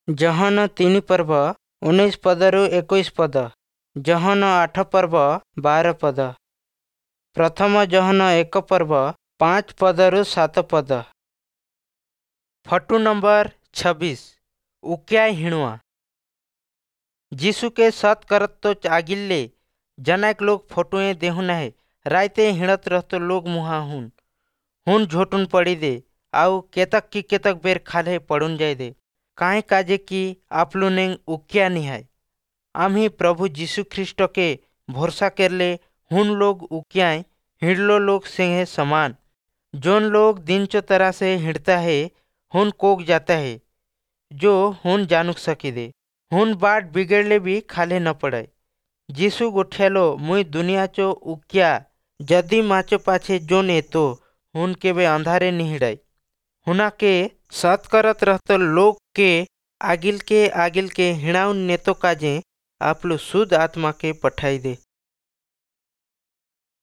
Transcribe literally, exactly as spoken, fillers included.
ଯୋହନ ତିନି ପର୍ବ ଉଣେଇଶ ପଦରୁ ଏକୋଇଶ ପଦ। ଯୋହନ ଆଠ ପର୍ବ ବାର ପଦ। ପ୍ରଥମ ଯୋହନ ଏକ ପର୍ବ ପାଞ୍ଚ ପଦରୁ ସାତ ପଦ। ଫଟୁ ନମ୍ବର ଛବିଶ, ଉକିଆ ହିଣୁଆ। ଯୀଶୁକେ ସତ୍ करत तो आगिल्ले जनाक लोग फोटुए देहु नाहे। राइते हिणत रहतो लोग मुहा हुन हुन झोटुन पड़ी दे आउ केतक की केतक बेर खाल्हे पड़ुन जाय दे, काहे काजे कि आपलुनेंग उकिया निहाय। आम्ही प्रभु यीशु ख्रीष्ट के भरोसा करले हुन लोग उकियाए हिंडलो लोग सेंगे समान। जोन लोग दिनचो तरह से हिंडता है हुन कोक जाता है जो हुन जानुक सकी दे। हुन बाट बिगड़ले भी खाले न पड़े। यीशु गोठियालो, मुई दुनिया चो उकिया, जदि माचो पाछे जोन एतो हुन केबे अंधारे नी हिड़ाई। हुना के सत करत रहतो लोग के आगिल के आगिल के हिणाउन नेतो काजे आपलो शुद्ध आत्मा के पठाई दे।